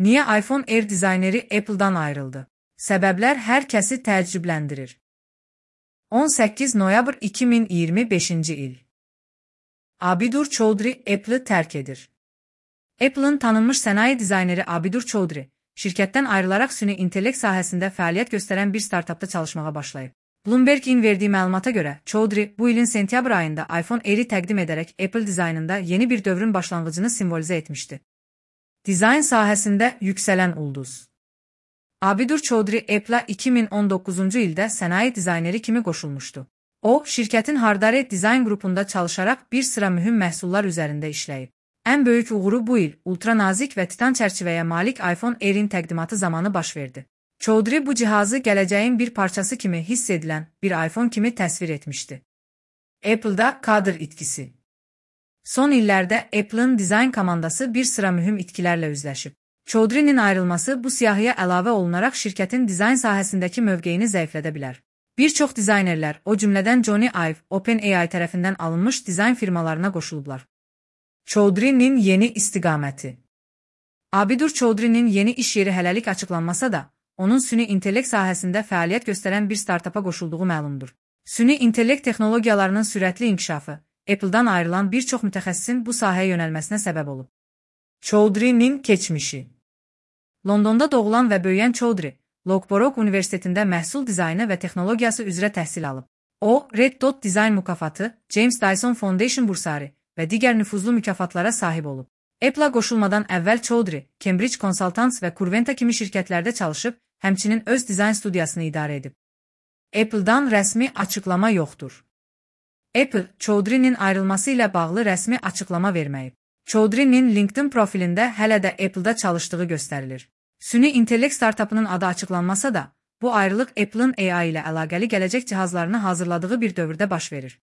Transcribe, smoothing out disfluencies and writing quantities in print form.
Niyə iPhone Air dizayneri Apple-dan ayrıldı? Səbəblər hər kəsi təəccübləndirir. 18 noyabr 2025-ci il. Abidur Choudhury Apple'ı tərk edir. Apple'ın tanınmış sənaye dizayneri Abidur Choudhury, şirkətdən ayrılaraq süni intellekt sahəsində fəaliyyət göstərən bir startapda çalışmağa başlayıb. Bloomberg-in verdiyi məlumata görə, Choudhury bu ilin sentyabr ayında iPhone Air-i təqdim edərək Apple dizaynında yeni bir dövrün başlanğıcını simvolizə etmişdi. Dizayn sahəsində yüksələn ulduz. Abidur Choudhury Apple'a 2019-cu ildə sənaye dizayneri kimi qoşulmuşdu. O, şirkətin Hardare Dizayn qrupunda çalışaraq bir sıra mühüm məhsullar üzərində işləyib. Ən böyük uğuru bu il ultra nazik və titan çərçivəyə malik iPhone Air-in təqdimatı zamanı baş verdi. Choudhury bu cihazı gələcəyin bir parçası kimi hiss edilən bir iPhone kimi təsvir etmişdi. Apple'da kadr itkisi. Son illərdə Apple'ın dizayn komandası bir sıra mühüm itkilərlə üzləşib. Choudhury'nin ayrılması bu siyahıya əlavə olunaraq şirkətin dizayn sahəsindəki mövqeyini zəiflədə bilər. Bir çox dizaynerlər, o cümlədən Jony Ive, OpenAI tərəfindən alınmış dizayn firmalarına qoşulublar. Choudhury'nin yeni istiqaməti. Abidur Choudhury'nin yeni iş yeri hələlik açıqlanmasa da, onun süni intellekt sahəsində fəaliyyət göstərən bir startapa qoşulduğu məlumdur. Süni intellekt texnologiyalarının sürətli inkişafı, Apple'dan ayrılan bir çox mütəxəssisin bu sahəyə yönəlməsinə səbəb olub. Choudhury'nin keçmişi. Londonda doğulan və böyüyən Choudhury, Loughborough Universitetində məhsul dizaynı və texnologiyası üzrə təhsil alıb. O, Red Dot Dizayn mükafatı, James Dyson Foundation bursarı və digər nüfuzlu mükafatlara sahib olub. Apple'a qoşulmadan əvvəl Choudhury, Cambridge Consultants və Curventa kimi şirkətlərdə çalışıb, həmçinin öz dizayn studiyasını idarə edib. Apple'dan rəsmi açıqlama yoxdur. Apple, Choudhury'nin ayrılması ilə bağlı rəsmi açıqlama verməyib. Choudhury'nin LinkedIn profilində hələ də Apple'da çalışdığı göstərilir. Süni intellekt startapının adı açıqlanmasa da, bu ayrılıq Apple'ın AI ilə əlaqəli gələcək cihazlarını hazırladığı bir dövrdə baş verir.